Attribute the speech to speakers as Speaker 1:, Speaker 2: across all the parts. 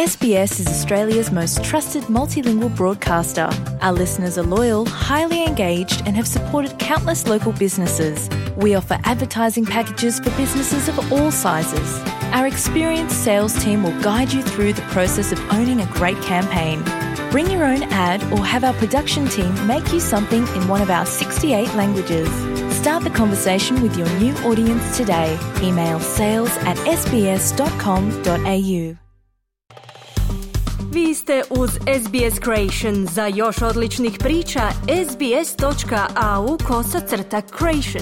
Speaker 1: SBS is Australia's most trusted multilingual broadcaster. Our listeners are loyal, highly engaged, and have supported countless local businesses. We offer advertising packages for businesses of all sizes. Our experienced sales team will guide you through the process of owning a great campaign. Bring your own ad or have our production team make you something in one of our 68 languages. Start the conversation with your new audience today. Email sales@sbs.com.au.
Speaker 2: Vi ste uz SBS Creation. Za još odličnih priča, sbs.au/creation.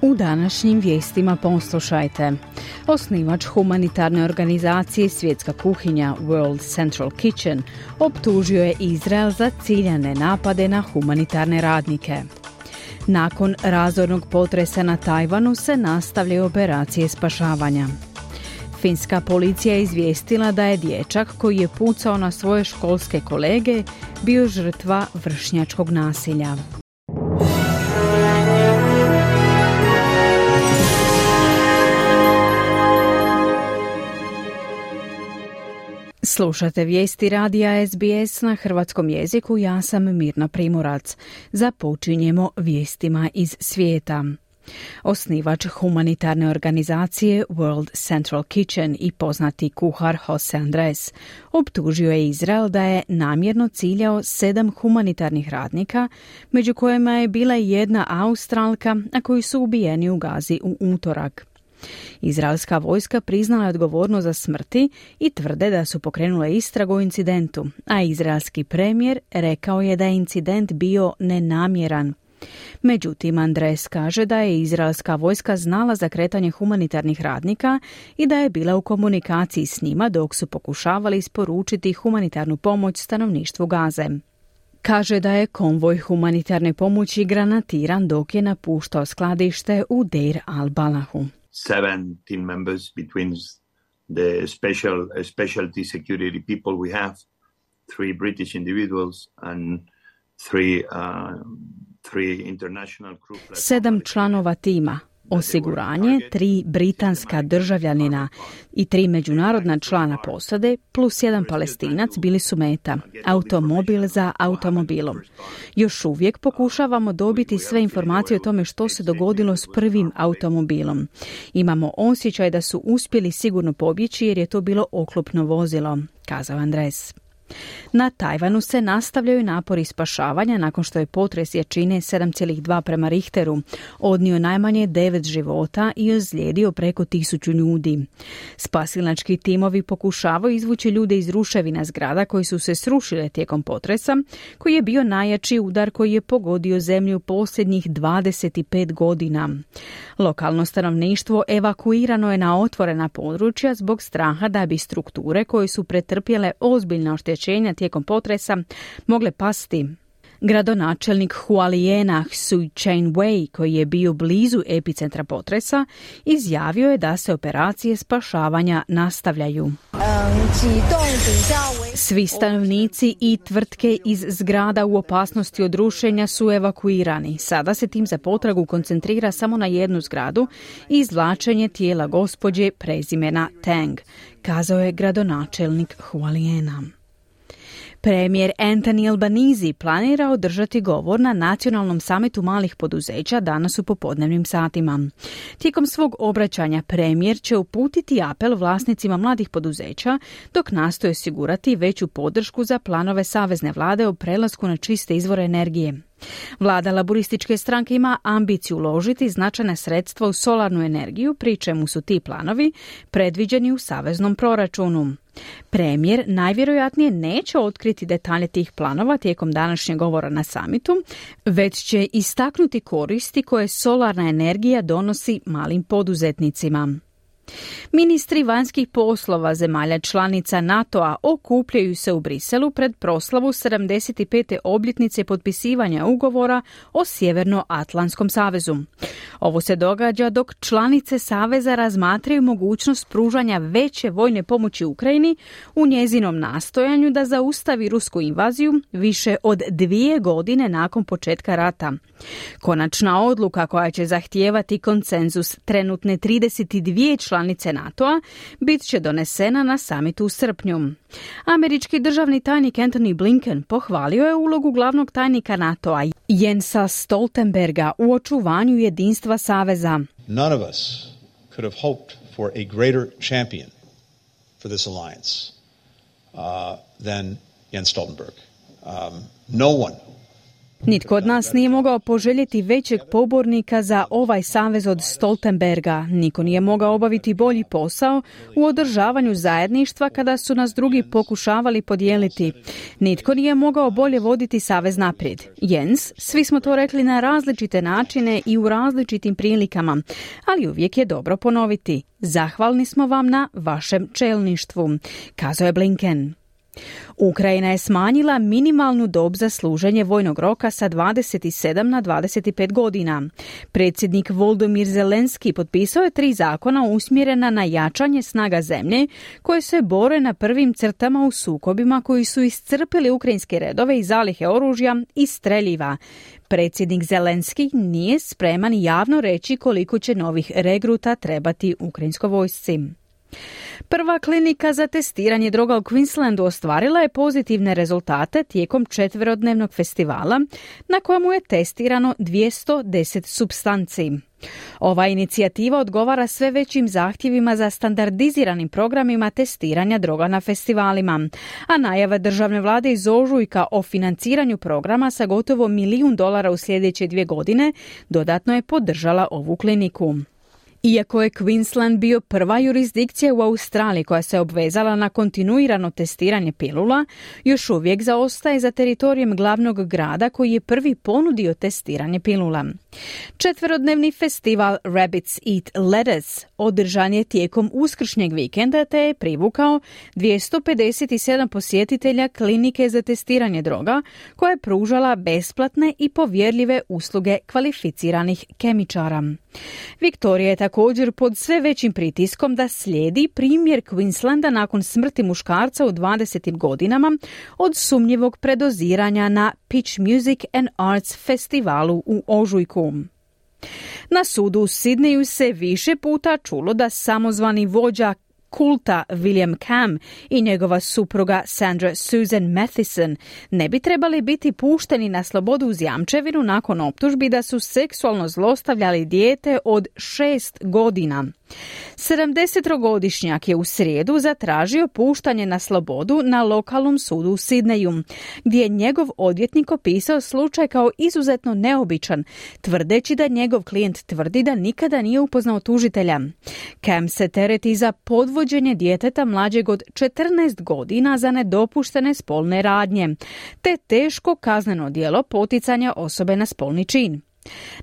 Speaker 3: U današnjim vijestima poslušajte. Osnivač humanitarne organizacije Svjetska kuhinja World Central Kitchen optužio je Izrael za ciljane napade na humanitarne radnike. Nakon razornog potresa na Tajvanu se nastavljaju operacije spašavanja. Finska policija je izvijestila da je dječak koji je pucao na svoje školske kolege bio žrtva vršnjačkog nasilja. Slušate vijesti radija SBS na hrvatskom jeziku, ja sam Mirna Primorac. Započinjemo vijestima iz svijeta. Osnivač humanitarne organizacije World Central Kitchen i poznati kuhar Jose Andres optužio je Izrael da je namjerno ciljao 7 humanitarnih radnika, među kojima je bila jedna Australka, a koji su ubijeni u Gazi u utorak. Izraelska vojska priznala je odgovornost za smrti i tvrde da su pokrenule istragu o incidentu, a izraelski premijer rekao je da je incident bio nenamjeran. Međutim, Andres kaže da je izraelska vojska znala za kretanje humanitarnih radnika i da je bila u komunikaciji s njima dok su pokušavali isporučiti humanitarnu pomoć stanovništvu Gaze. Kaže da je konvoj humanitarne pomoći granatiran dok je napuštao skladište u Deir al-Balahu.
Speaker 4: 7 team members between the specialty security people we have, 3 British individuals and 3 international crew.
Speaker 3: 7 članova tima, osiguranje, 3 britanska državljanina i 3 međunarodna člana posade plus 1 Palestinac bili su meta, automobil za automobilom. Još uvijek pokušavamo dobiti sve informacije o tome što se dogodilo s prvim automobilom. Imamo osjećaj da su uspjeli sigurno pobjeći jer je to bilo oklopno vozilo, kazao Andres. Na Tajvanu se nastavljaju napori spašavanja nakon što je potres jačine 7,2 prema Richteru odnio najmanje 9 života i ozlijedio preko 1000 ljudi. Spasilački timovi pokušavaju izvući ljude iz ruševina zgrada koji su se srušile tijekom potresa, koji je bio najjači udar koji je pogodio zemlju posljednjih 25 godina. Lokalno stanovništvo evakuirano je na otvorena područja zbog straha da bi strukture koje su pretrpjele ozbiljna oštećenja tijekom potresa mogle pasti. Gradonačelnik Hualijena Sui Chen-wei, koji je bio blizu epicentra potresa, izjavio je da se operacije spašavanja nastavljaju. Svi stanovnici i tvrtke iz zgrada u opasnosti od rušenja su evakuirani. Sada se tim za potragu koncentrira samo na jednu zgradu i izvlačenje tijela gospođe prezimena Tang, kazao je gradonačelnik Hualijena. Premijer Anthony Albanese planira održati govor na nacionalnom samitu malih poduzeća danas u popodnevnim satima. Tijekom svog obraćanja premijer će uputiti apel vlasnicima mladih poduzeća dok nastoje osigurati veću podršku za planove savezne vlade o prelasku na čiste izvore energije. Vlada laburističke stranke ima ambiciju uložiti značajna sredstva u solarnu energiju, pri čemu su ti planovi predviđeni u saveznom proračunu. Premijer najvjerojatnije neće otkriti detalje tih planova tijekom današnjeg govora na samitu, već će istaknuti koristi koje solarna energija donosi malim poduzetnicima. Ministri vanjskih poslova zemalja članica NATO-a okupljaju se u Briselu pred proslavu 75. obljetnice potpisivanja ugovora o Sjevernoatlantskom savezu. Ovo se događa dok članice saveza razmatraju mogućnost pružanja veće vojne pomoći Ukrajini u njezinom nastojanju da zaustavi rusku invaziju više od 2 godine nakon početka rata. Konačna odluka koja će zahtijevati konsenzus trenutne 32 članice NATO-a bit će donesena na samitu u srpnju. Američki državni tajnik Antony Blinken pohvalio je ulogu glavnog tajnika NATO-a Jensa Stoltenberga u očuvanju jedinstva saveza.
Speaker 5: None of us could have hoped for a greater champion for this alliance than Jens Stoltenberg. No one.
Speaker 3: Nitko od nas nije mogao poželjeti većeg pobornika za ovaj savez od Stoltenberga. Niko nije mogao obaviti bolji posao u održavanju zajedništva kada su nas drugi pokušavali podijeliti. Nitko nije mogao bolje voditi savez naprijed. Jens, svi smo to rekli na različite načine i u različitim prilikama, ali uvijek je dobro ponoviti. Zahvalni smo vam na vašem čelništvu, kazao je Blinken. Ukrajina je smanjila minimalnu dob za služenje vojnog roka sa 27 na 25 godina. Predsjednik Volodymyr Zelenski potpisao je 3 zakona usmjerena na jačanje snaga zemlje koje se bore na prvim crtama u sukobima koji su iscrpili ukrajinske redove i zalihe oružja i streljiva. Predsjednik Zelenski nije spreman javno reći koliko će novih regruta trebati ukrajinskoj vojsci. Prva klinika za testiranje droga u Queenslandu ostvarila je pozitivne rezultate tijekom 4-dnevnog festivala na kojemu je testirano 210 supstanci. Ova inicijativa odgovara sve većim zahtjevima za standardiziranim programima testiranja droga na festivalima, a najava državne vlade iz ožujka o financiranju programa sa gotovo $1 milijun u sljedeće 2 godine dodatno je podržala ovu kliniku. Iako je Queensland bio prva jurisdikcija u Australiji koja se obvezala na kontinuirano testiranje pilula, još uvijek zaostaje za teritorijem glavnog grada koji je prvi ponudio testiranje pilula. 4-dnevni festival Rabbits Eat Lettuce održan je tijekom uskršnjeg vikenda te je privukao 257 posjetitelja klinike za testiranje droga koja je pružala besplatne i povjerljive usluge kvalificiranih kemičara. Viktorija je također pod sve većim pritiskom da slijedi primjer Queenslanda nakon smrti muškarca u 20. godinama od sumnjivog predoziranja na Pitch Music and Arts festivalu u ožujku. Na sudu u Sidneju se više puta čulo da samozvani vođa kulta William Cam i njegova supruga Sandra Susan Matheson ne bi trebali biti pušteni na slobodu uz jamčevinu nakon optužbi da su seksualno zlostavljali dijete od 6 godina. 70-godišnjak je u srijedu zatražio puštanje na slobodu na lokalnom sudu u Sidneju, gdje je njegov odvjetnik opisao slučaj kao izuzetno neobičan, tvrdeći da njegov klijent tvrdi da nikada nije upoznao tužitelja. Cam se tereti za podvođenje djeteta mlađeg od 14 godina za nedopuštene spolne radnje, te teško kazneno djelo poticanja osobe na spolni čin.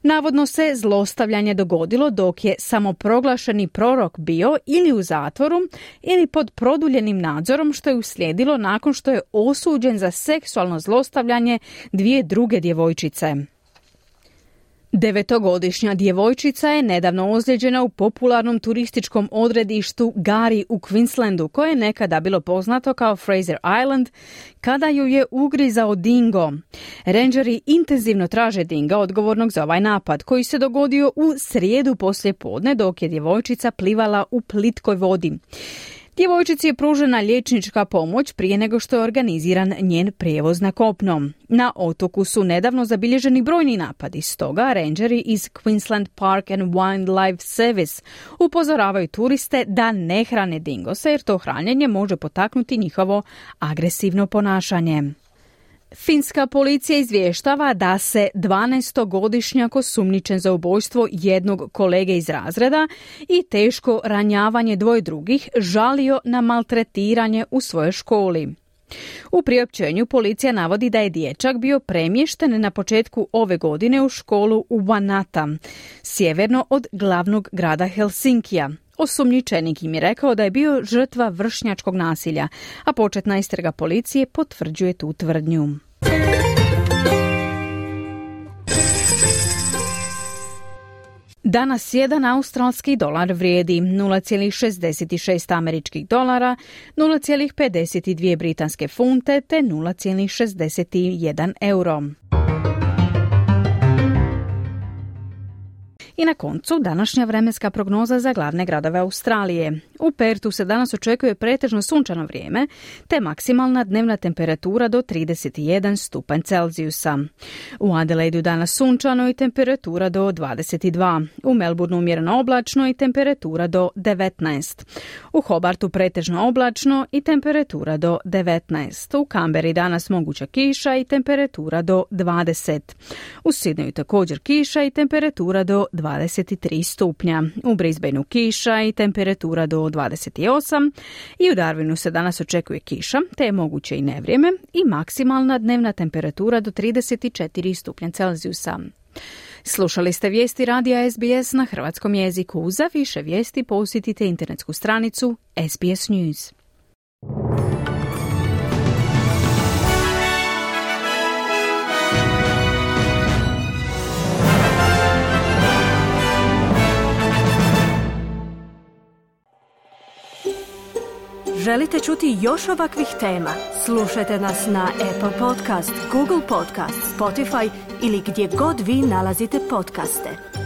Speaker 3: Navodno se zlostavljanje dogodilo dok je samoproglašeni prorok bio ili u zatvoru ili pod produljenim nadzorom, što je uslijedilo nakon što je osuđen za seksualno zlostavljanje 2 druge djevojčice. 9-godišnja djevojčica je nedavno ozlijeđena u popularnom turističkom odredištu Gari u Queenslandu, koje je nekada bilo poznato kao Fraser Island, kada ju je ugrizao dingo. Rangeri intenzivno traže dinga odgovornog za ovaj napad, koji se dogodio u srijedu poslijepodne dok je djevojčica plivala u plitkoj vodi. Djevojčici je pružena liječnička pomoć prije nego što je organiziran njen prijevoz na kopno. Na otoku su nedavno zabilježeni brojni napadi, stoga rangeri iz Queensland Park and Wildlife Service upozoravaju turiste da ne hrane dingose jer to hranjenje može potaknuti njihovo agresivno ponašanje. Finska policija izvještava da se 12-godišnjak osumnjičen za ubojstvo jednog kolege iz razreda i teško ranjavanje 2 drugih žalio na maltretiranje u svojoj školi. U priopćenju policija navodi da je dječak bio premješten na početku ove godine u školu u Vanata, sjeverno od glavnog grada Helsinkija. Osumnjičenik im je rekao da je bio žrtva vršnjačkog nasilja, a početna istraga policije potvrđuje tu tvrdnju. Danas jedan australski dolar vrijedi 0,66 američkih dolara, 0,52 britanske funte te 0,61 euro. I na koncu današnja vremenska prognoza za glavne gradove Australije. U Pertu se danas očekuje pretežno sunčano vrijeme, te maksimalna dnevna temperatura do 31 stupanj Celzijusa. U Adelaidu danas sunčano i temperatura do 22. U Melbourneu umjereno oblačno i temperatura do 19. U Hobartu pretežno oblačno i temperatura do 19. U Canberri danas moguća kiša i temperatura do 20. U Sydneyu također kiša i temperatura do 23 stupnja. U Brisbaneu kiša i temperatura do 28 i u Darwinu se danas očekuje kiša, te je moguće i nevrijeme i maksimalna dnevna temperatura do 34 stupnja Celzijusa. Slušali ste vijesti radija SBS na hrvatskom jeziku. Za više vijesti posjetite internetsku stranicu SBS News.
Speaker 2: Želite čuti još ovakvih tema? Slušajte nas na Apple Podcast, Google Podcast, Spotify ili gdje god vi nalazite podcaste.